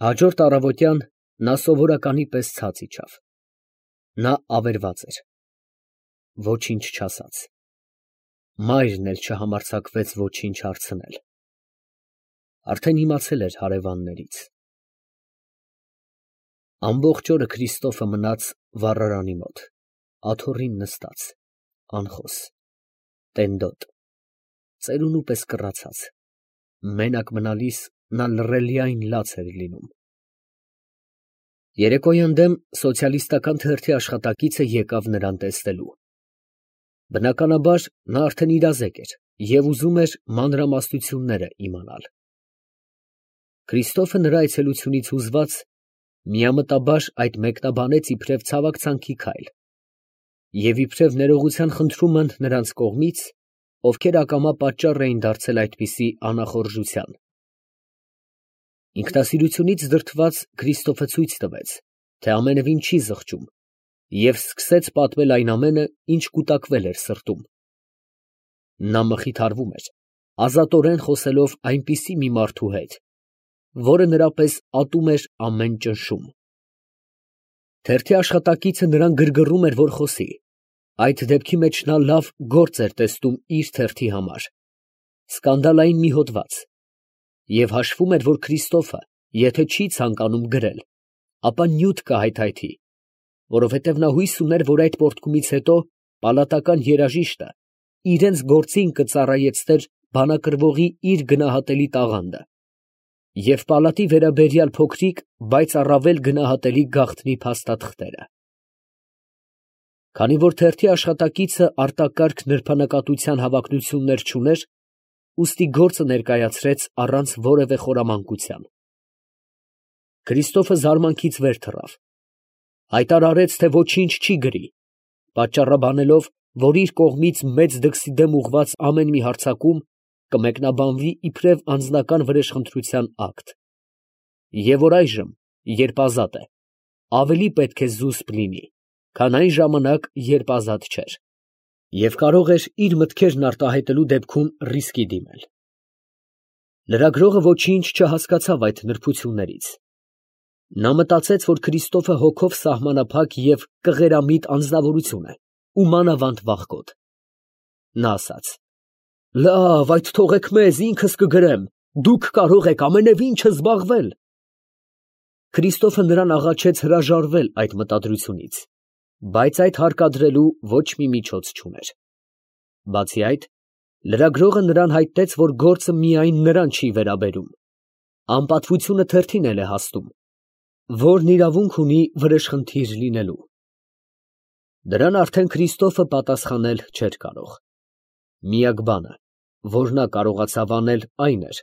Հաջորդ առավոտյան նա սովորականի պես ցած իջավ. նա ավերված էր, ոչինչ չասաց, մայրն էլ չհամարձակվեց ոչինչ հարցնել, արդեն իմացել էր հարևաններից։ Ամբողջ օրը Քրիստոֆը մնաց վառարանի մոտ, աթոռին նստած, անխոս, տենդոտ, ծերունու պես կռացած, մենակ մնալիս նա լռելիայն լաց էր լինում։ Երեկոյան դեմ սոցիալիստական թերթի աշխատակիցը եկավ նրան տեսնելու։ Բնականաբար նա արդեն իրազեկ էր և ուզում էր մանրամասնությունները իմանալ։ Քրիստոֆը նրա այցելությունից հուզված միամտաբար այդ մեկնաբանեց իբրև ցավակցանքի քայլ և իբրև ներողության խնդրում են նրանց կողմից, ովքեր ակամա պատճառ էին դարձել այդպիսի անախորժության։ Ինքնասիրությունից դրդված Քրիստոֆը ցույց տվեց, թե ամենևին չի զղջում և սկսեց պատմել այն ամենը, ինչ կուտակվել էր սրտում։ Նա մխիթարվում էր, ազատորեն խոսելով այնպիսի մի մարդու հետ, որը նրա պես ատում էր ամեն ճնշում։ Թերթի աշխատակիցը նրան գրգռում էր, որ խոսի, այդ դեպքի մեջ նա լավ գործ էր տեսնում իր թերթի համար, սկանդալային մի հոդված, և հաշվում էր, որ Քրիստոֆը, եթե չի ցանկանում գրել, ապա նյութ կհայթայթի, որովհետև նա հույս ուներ, որ այդ պոռթկումից հետո պալատական երաժիշտը իրենց գործին կծառայեցներ բանակրվողի իր գնահատելի տաղանդը և պալատի վերաբերյալ փոքրիկ, բայց առավել գնահատելի գաղտնի փաստաթղթերը։ Քանի որ թերթի աշխատակիցը արտակարգ նրբանկատության հավակնություններ չուներ, ուստի գործը ներկայացրեց առանց որևէ խորամանկության։ Քրիստոֆը զարմանքից վեր թռավ, հայտարարեց, թե ոչինչ չի գրի, պատճառաբանելով, որ իր կողմից մեծ դքսի դեմ ուղղված ամեն մի հարձակում կմեկնաբանվի իբրև անձնական վրեժխնդրության ակտ, և որ այժմ, երբ ազատ է, ավելի պետք է զուսպ լինի, քան այն ժամանակ, երբ ազատ չէր, և կարող էր իր մտքերն արտահայտելու դեպքում ռիսկի դիմել։ Լրագրողը ոչինչ չհասկացավ այդ նրբություններից։ Նա մտածեց, որ Քրիստոֆը հոգով սահմանափակ և կղերամիտ անձնավորություն է ու մանավանդ վախկոտ։ Նա ասաց. «Լավ, այդ թողեք մեզ, ինքս կգրեմ, դուք կարող եք ամենևին չզբաղվել»։ Քրիստոֆը նրան աղաչեց հրաժարվել այդ մտադրությունից, բայց այդ հարկադրելու ոչ մի միջոց չուներ։ Բացի այդ, լրագրողը նրան հայտնեց, որ գործը միայն նրան չի վերաբերում, անպատվությունը թերթին էլ է հասնում, որն իրավունք ունի վրեժխնդիր լինելու։ Դրան արդեն Քրիստոֆը պատասխանել չէր կարող։ Միակ բանը, որ նա կարողացավ անել, այն էր,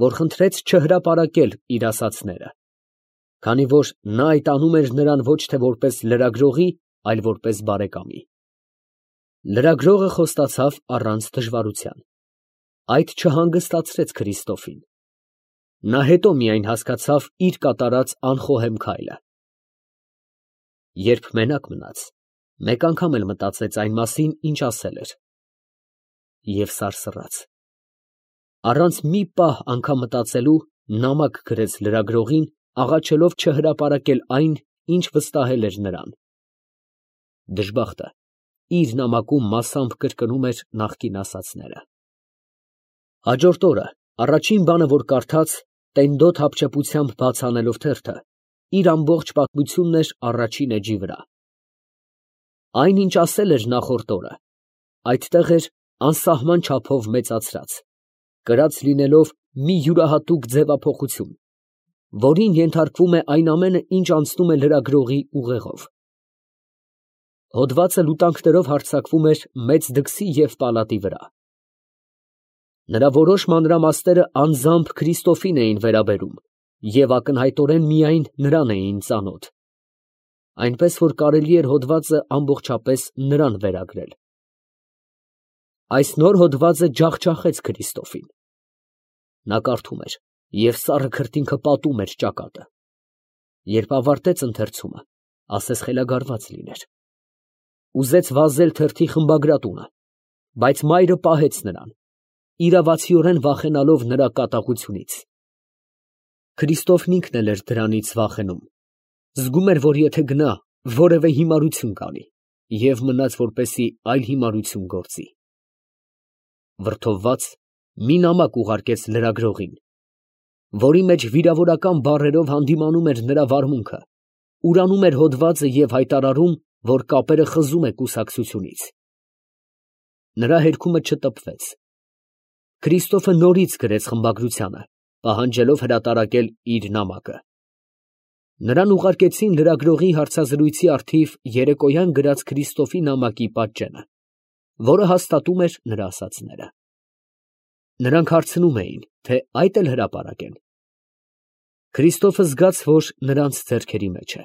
որ խնդրեց չհրապարակել իր ասածները, քանի որ նա այդ անում էր նրան ոչ թե որպես լրագրողի, այլ որպես բարեկամի։ Լրագրողը խոստացավ առանց դժվարության։ Այդ չհանգստացրեց Քրիստոֆին։ Նա հետո միայն հասկացավ իր կատարած անխոհեմ քայլը։ Երբ մենակ մնաց, մեկ անգամ էլ մտածեց այն մասին, ինչ ասել էր, և սարսռաց։ Առանց մի պահ անգամ մտածելու նամակ գրեց լրագրողին, աղաչելով չհրապարակել այն, ինչ վստահել էր նրան։ Դժբախտը իր նամակում մասամբ կրկնում էր նախկին ասածները։ Հաջորդ օրը առաջին բանը, որ կարդաց, տենդոտ հապճեպությամբ բաց անելով թերթը, իր ամբողջ պատմությունն էր առաջին էջի վրա։ Այն, ինչ ասել էր նախորդ օրը, այդտեղ էր անսահման չափով մեծացրած, կրած լինելով մի յուրահատուկ ձևափոխություն, որին ենթարկվում է այն ամենը, ինչ անցնում է լրագրողի ուղեղով։ Հոդվածը լուտանքներով հարձակվում էր մեծ դքսի և պալատի վրա։ Նրա որոշ մանրամասները անձամբ Քրիստոֆին էին վերաբերում և ակնհայտորեն միայն նրան էին ծանոթ, այնպես որ կարելի էր հոդվածը ամբողջապես նրան վերագրել։ Այս նոր հոդվածը ջախջախեց Քրիստոֆին։ Նա կարդում էր, և սառը քրտինքը պատում էր ճակատը։ Երբ ավարտեց ընթերցումը, ասես խելագարված լիներ։ Ուզեց վազել թերթի խմբագրատունը, բայց մայրը պահեց նրան, իրավացիորեն վախենալով նրա կատաղությունից։ Քրիստոֆն ինքն էլ էր դրանից վախենում, զգում էր, որ եթե գնա, որևէ հիմարություն կանի, և մնաց, որպեսզի այլ հիմարություն գործի։ Վրդովված մի նամակ ուղարկեց լրագրողին, որի մեջ վիրավորական բառերով հանդիմանում էր նրա վարմունքը, ուրանում էր հոդվածը և հայտարարում, որ կապերը խզում է կուսակցությունից։ Նրա հերքումը չտպվեց։ Քրիստոֆը նորից գրեց խմբագրությանը, պահանջելով հրատարակել իր նամակը։ Նրան ուղարկեցին լրագրողի հարցազրույցի առթիվ երեկոյան գրած Քրիստոֆի նամակի պատճենը, որը հաստատում էր նրա ասածները։ Նրանք հարցնում էին, թե այդ էլ հրապարակեն։ Քրիստոֆը զգաց, որ նրանց ձեռքերի մեջ է։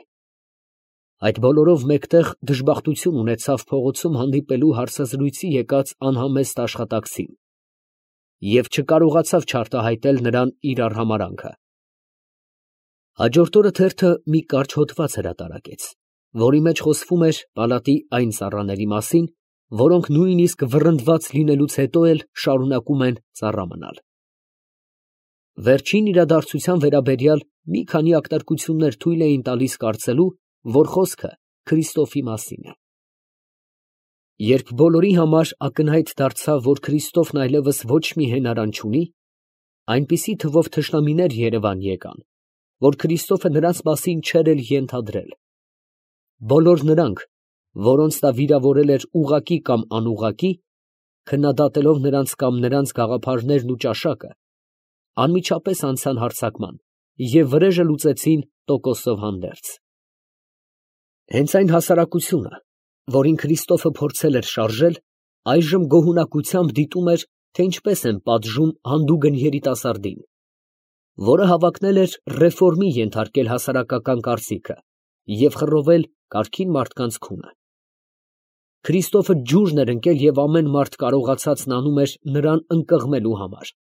Այդ բոլորով մեկտեղ դժբախտություն ունեցավ փողոցում հանդիպելու հարցազրույցի եկած անհամեստ աշխատակցին և չկարողացավ չարտահայտել նրան իր արհամարհանքը։ Հաջորդ օրը թերթը մի կարճ հոդված հրատարակեց, որի մեջ խոսվում էր պալատի այն ծառաների մասին, որոնք նույնիսկ վռնդված լինելուց հետո էլ շարունակում են ծառա մնալ։ Վերջին իրադարձության վերաբերյալ մի քանի ակտարկություններ թույլ էին տալիս կարծելու, որ խոսքը Քրիստոֆի մասին է։ Երբ բոլորի համար ակնհայտ դարձավ, որ Քրիստոֆն այլևս ոչ մի հենարան չունի, այնպիսի թվով թշնամիներ Երևան եկան, որ Քրիստոֆը նրանց մասին չէր էլ ենթադրել։ Բոլոր նրանք, որոնց նա վիրավորել էր ուղղակի կամ անուղղակի, քննադատելով նրանց կամ նրանց գաղափարներն ու ճաշակը, անմիջապես անցան հարձակման և վրեժը լուծեցին տոկոսով հանդերձ։ Հենց այն հասարակությունը, որին Քրիստոֆը փորձել էր շարժել, այժմ գոհունակությամբ դիտում էր, թե ինչպես են պատժում հանդուգն երիտասարդին, որը հավակնել էր ռեֆորմի ենթարկել հասարակական կարծիքը և խռովել կարգին մարդկանց քունը։ Քրիստոֆը ջուրն էր ընկել և ամեն մարդ կարողացածն անում էր նրան ընկղմելու համար։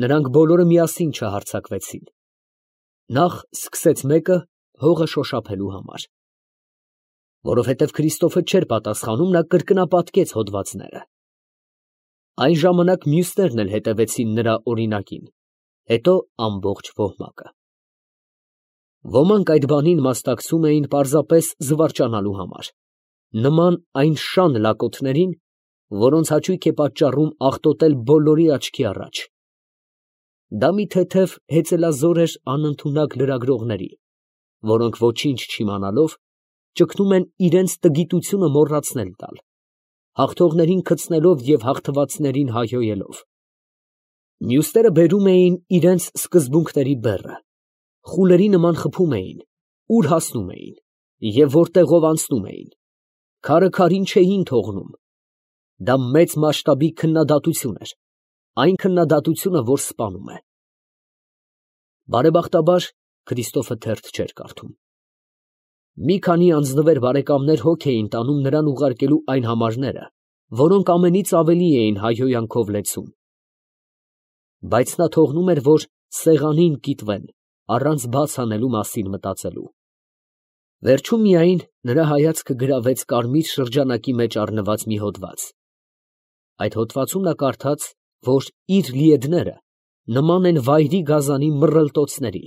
Նրանք բոլորը միասին չհարձակվեցին։ Նախ սկսեց մեկը հողը շոշափելու համար։ Որովհետև Քրիստոֆը չէր պատասխանում, նա կրկնապատկեց հոդվածները։ Այն ժամանակ մյուսներն էլ հետևեցին նրա օրինակին, հետո ամբողջ ոհմակը։ Ոմանք այդ բանին մասնակցում էին պարզապես զվարճանալու համար, նման այն շան լակոթներին, որոնց հաճույք է պատճառում աղտոտել բոլորի աչքի առաջ։ Դա մի թեթև հեծելազոր էր անընդունակ լրագրողների, որոնք ոչինչ չիմանալով, ճգնում են իրենց տգիտությունը մոռացնել տալ, հաղթողներին քցնելով և հաղթվածներին հայհոյելով։ Մյուսները բերում էին իրենց սկզբունքների բեռը, խուլերի նման խփում էին, ուր հասնում էին և որտեղով անցնում էին, քարը քարին չէին թողնում։ Դա մեծ մասշտաբի քննադատություն էր, այն քննադատությունը, որ սպանում է։ Բարեբախտաբար Քրիստոֆը թերթ չէր կարդում։ Մի քանի անձնվեր բարեկամներ հոգ էին տանում նրան ուղարկելու այն համարները, որոնք ամենից ավելի էին հայհոյանքով լեցուն։ Բայց նա թողնում էր, որ սեղանին կիտվեն, առանց բաց անելու մասին մտածելու։ Վերջում միայն նրա հայացքը գրավեց կարմիր շրջանակի մեջ առնված մի հոդված։ Այդ հոդվածում նա կարդաց, որ իր լիեդները նման են վայրի գազանի մռռլտոցների,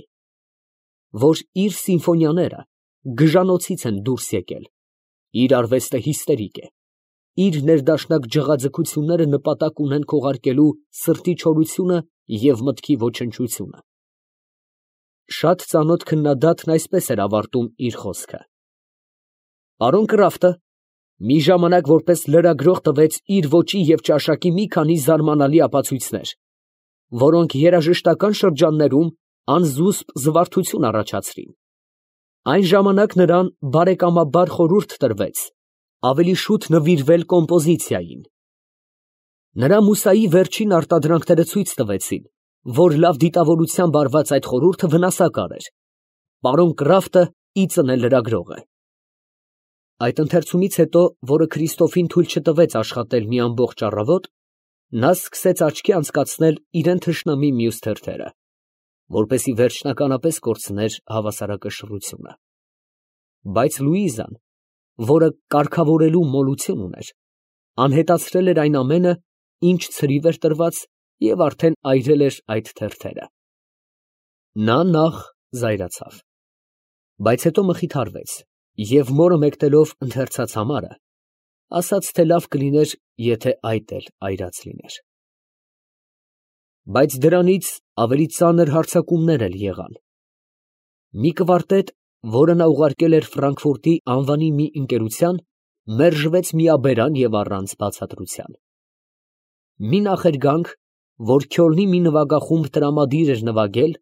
որ իր սիմֆոնիաները գժանոցից են դուրս եկել, իր արվեստը հիստերիկ է, իր ներդաշնակ ջղաձգությունները նպատակ ունեն քողարկելու սրտի չորությունը և մտքի ոչնչությունը։ Շատ ծանոթ քննադատն այսպես էր ավարտում իր խոսքը. «Պարոն Կրաֆտը մի ժամանակ որպես լրագրող տվեց իր ոճի և ճաշակի մի քանի զարմանալի ապացույցներ, որոնք երաժշտական շրջաններում անզուսպ զվարթություն առաջացրին։ Այն ժամանակ նրան բարեկամաբար խորհուրդ տրվեց ավելի շուտ նվիրվել կոմպոզիցիային։ Նրա մուսայի վերջին արտադրանքները ցույց տվեցին, որ լավ դիտավորությամբ արված այդ խորհուրդը վնասակար էր։ Պարոն Կրաֆտը ի ծնե լրագրող է»։ Այդ ընթերցումից հետո, որը Քրիստոֆին թույլ չտվեց աշխատել մի ամբողջ առավոտ, նա սկսեց աչքի անցկացնել իրան թշնամի մյուս թերթերը, որպեսզի վերջնականապես կորցներ հավասարակշռությունը։ Բայց Լուիզան, որը կարգավորելու մոլություն ուներ, անհետացրել էր այն ամենը, ինչ ցրիվ էր տրված, և արդեն այրել էր այդ թերթերը։ Նա նախ զայրացավ, բայց հետո մխիթարվեց և մորը մեկնելով ընթերցած համարը, ասաց, թե լավ կլիներ, եթե այդ էլ այրած լիներ։ Բայց դրանից ավելի ծանր հարձակումներ էլ եղան։ Մի կվարտետ, որը նա ուղարկել էր Ֆրանկֆուրտի անվանի մի ընկերության, մերժվեց միաբերան և առանց բացատրության։ Մի նախերգանք, որ Քյոլնի մի նվագախումբ տրամադիր էր նվագել,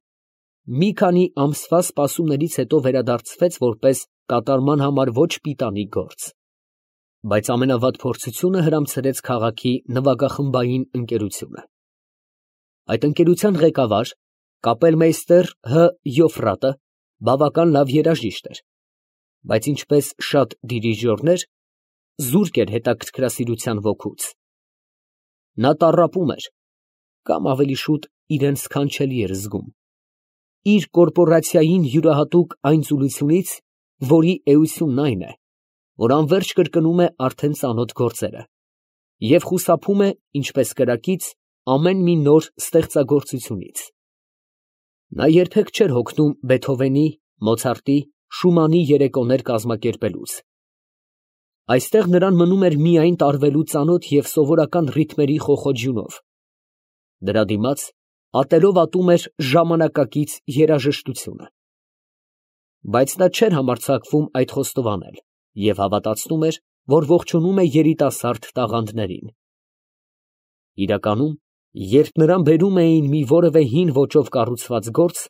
մի քանի ամսվա սպասումներից հետո վերադարձվեց որպես կատարման համար ոչ պիտանի գործ, բայց ամենավատ փորձությունը հրամցրեց քաղաքի նվագախմբային ընկերությունը։ Այդ ընկերության ղեկավար, կապելմեյստեր Հ. Յոֆրատը, բավական լավ երաժիշտ էր, բայց ինչպես շատ դիրիժորներ, զուրկ էր հետաքրքրասիրության ոգուց։ Նա տառապում էր, կամ ավելի շուտ իրեն սքանչելի էր զգում, իր կորպորացիային յուրահատուկ այն ծուլությունից, որի էությունն այն է, որ անվերջ կրկնում է արդեն ծանոթ գործերը և խուսափում է, ինչպես կրակից, ամեն մի նոր ստեղծագործությունից։ Նա երբեք չէր հոգնում Բեթհովենի, Մոցարտի, Շումանի երեկոներ կազմակերպելուց։ Այստեղ նրան մնում էր միայն տարվելու ծանոթ և սովորական ռիթմերի խոխոջյունով, դրա դիմաց ատելով ատում էր ժամանակակից երաժշտությունը։ Բայց նա չէր համարձակվում այդ խոստովանել և հավատացնում էր, որ ողջունում է երիտասարդ տաղանդներին։ Իրականում, երբ նրան բերում էին մի որևէ հին ոճով կառուցված գործ,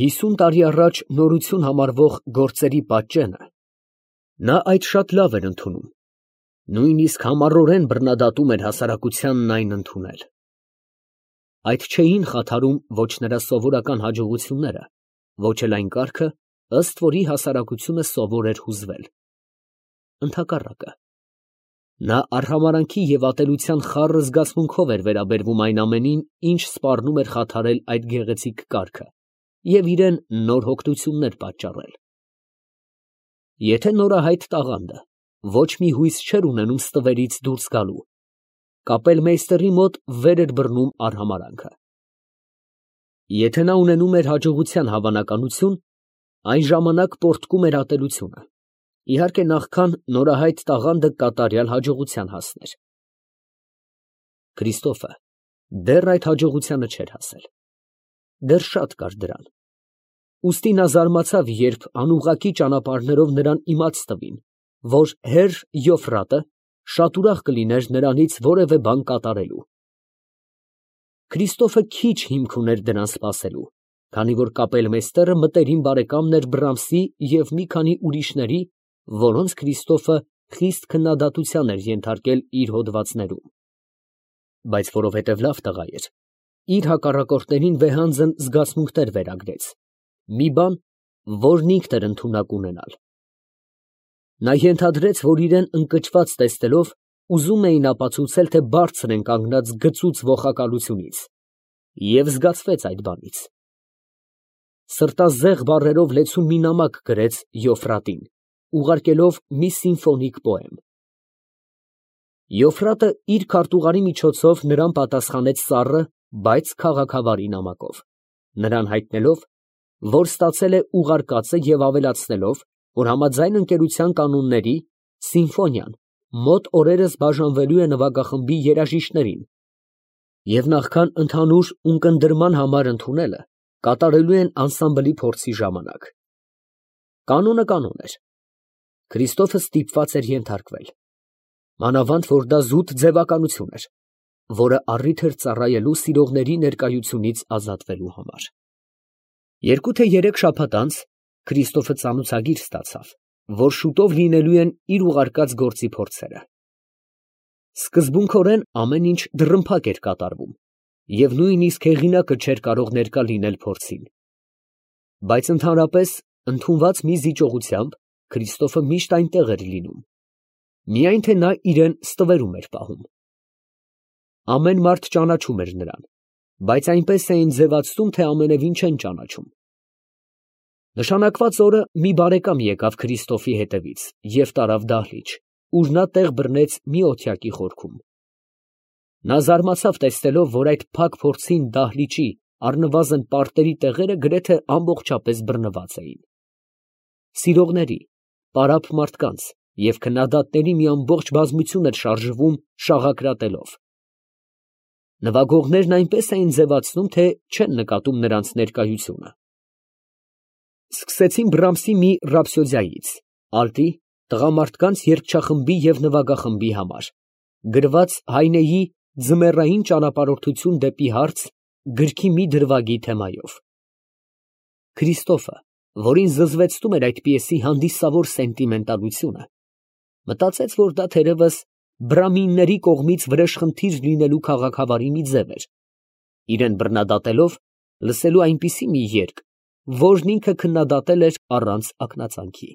50 տարի առաջ նորություն համարվող գործերի պատճենը, նա այդ շատ լավ էր ընդունում, նույնիսկ համառորեն բռնադատում էր հասարակությանն այն ընդունել։ Այդ չէին խաթարում ոչ նրա սովորական հաջողությունները, ոչ էլ այն կարգը, ըստ որի հասարակությունը սովոր էր հուզվել։ Ընդհակառակը, նա արհամարհանքի և ատելության խառը զգացմունքով էր վերաբերվում այն ամենին, ինչ սպառնում էր խաթարել այդ գեղեցիկ կարգը և իրան նոր հոգնություններ պատճառել։ Եթե նորահայտ տաղանդը ոչ մի հույս չէր ունենում ստվերից դուրս գալու, կապելմեյստերի մոտ վեր էր բռնում արհամարհանքը։ Եթե նա ունենում էր հաջողության հավանականություն, այն ժամանակ պոռթկում էր ատելությունը, իհարկե նախքան նորահայտ տաղանդը կատարյալ հաջողության հասներ։ Քրիստոֆը դեռ այդ հաջողությանը չէր հասել, դեռ շատ կար դրան, ուստի նա զարմացավ, երբ անուղղակի ճանապարհներով նրան իմաց տվին, որ հեր Յոֆրատը շատ ուրախ կլիներ նրանից որևէ բան կատարելու։ Քրիստոֆը քիչ հիմք ուներ դրան սպասելու, քանի որ կապելմեյստերը մտերիմ բարեկամն էր Բրամսի և մի քանի ուրիշների, որոնց Քրիստոֆը խիստ քննադատության էր ենթարկել իր հոդվածներում։ Բայց որովհետև լավ տղա էր, իր հակառակորդներին վեհանձն զգացմունքներ վերագրեց, մի բան, որն ինքն էր ընդունակ ունենալ։ Նա ենթադրեց, որ իրան ընկճված տեսնելով ուզում էին ապացուցել, թե բարձր են կանգնած գծուծ ոխակալությունից, և զգացվեց այդ բանից։ Սրտազեղ բառերով լեցուն մի նամակ գրեց Յոֆրատին, ուղարկելով մի սիմֆոնիկ պոեմ։ Յոֆրատը իր քարտուղարի միջոցով նրան պատասխանեց սառը, բայց քաղաքավարի նամակով, նրան հայտնելով, որ ստացել է ուղարկածը և ավելացնելով, որ համաձայն ընկերության կանոնների սիմֆոնիան մոտ օրերս բաժանվելու է նվագախմբի երաժիշտներին և նախքան ընդհանուր ունկնդրման համար ընդունելը կատարելու են անսամբլի փորձի ժամանակ։ Կանոնը կանոն էր, Քրիստոֆը ստիպված էր ենթարկվել, մանավանդ որ դա զուտ ձևականություն էր, որը առիթ էր ծառայելու սիրողների ներկայությունից ազատվելու համար։ 2 թե 3 շաբաթ անց Քրիստոֆը ծանոթագիր ստացավ, որ շուտով լինելու են իր ուղարկած գործի փորձերը։ Սկզբունքորեն ամեն ինչ դռնփակ էր կատարվում, և նույնիսկ հեղինակը չէր կարող ներկա լինել փորձին։ Բայց ընդհանրապես, ընդունված մի զիջողությամբ, Քրիստոֆը միշտ այնտեղ էր լինում, միայն թե նա իրան ստվերում էր պահում։ Ամեն մարդ ճանաչում էր նրան, բայց այնպես էին ձևացնում, թե ամենևին չեն ճանաչում։ Նշանակված օրը մի բարեկամ եկավ Քրիստոֆի հետևից և տարավ դահլիճ, ուր նա տեղ բռնեց մի օթյակի խորքում։ Նա զարմացավ տեսնելով, որ այդ փակ փորձին դահլիճի առնվազն պարտերի տեղերը գրեթե ամբողջապես բռնված էին։ Սիրողների, պարապ մարդկանց և քննադատների մի ամբողջ բազմություն էր շարժվում շաղակրատելով։ Նվագողներն այնպես էին ձևացնում, թե չեն նկատում նրանց ներկայությունը։ Սկսեցին Բրամսի մի ռապսոդիայից, ալտի, տղամարդկանց երգչախմբի և նվագախմբի համար, գրված Հայնեի ձմեռային ճանապարհորդություն դեպի հարց գրքի մի դրվագի թեմայով։ Քրիստոֆը, որին զզվեցնում էր այդ պիեսի հանդիսավոր սենտիմենտալությունը, մտածեց, որ դա թերևս բրամինների կողմից վրեժխնդիր լինելու քաղաքավարի մի ձև էր, իրան բռնադատելով լսելու այնպիսի մի երգ, որն ինքը քննադատել էր առանց ակնածանքի։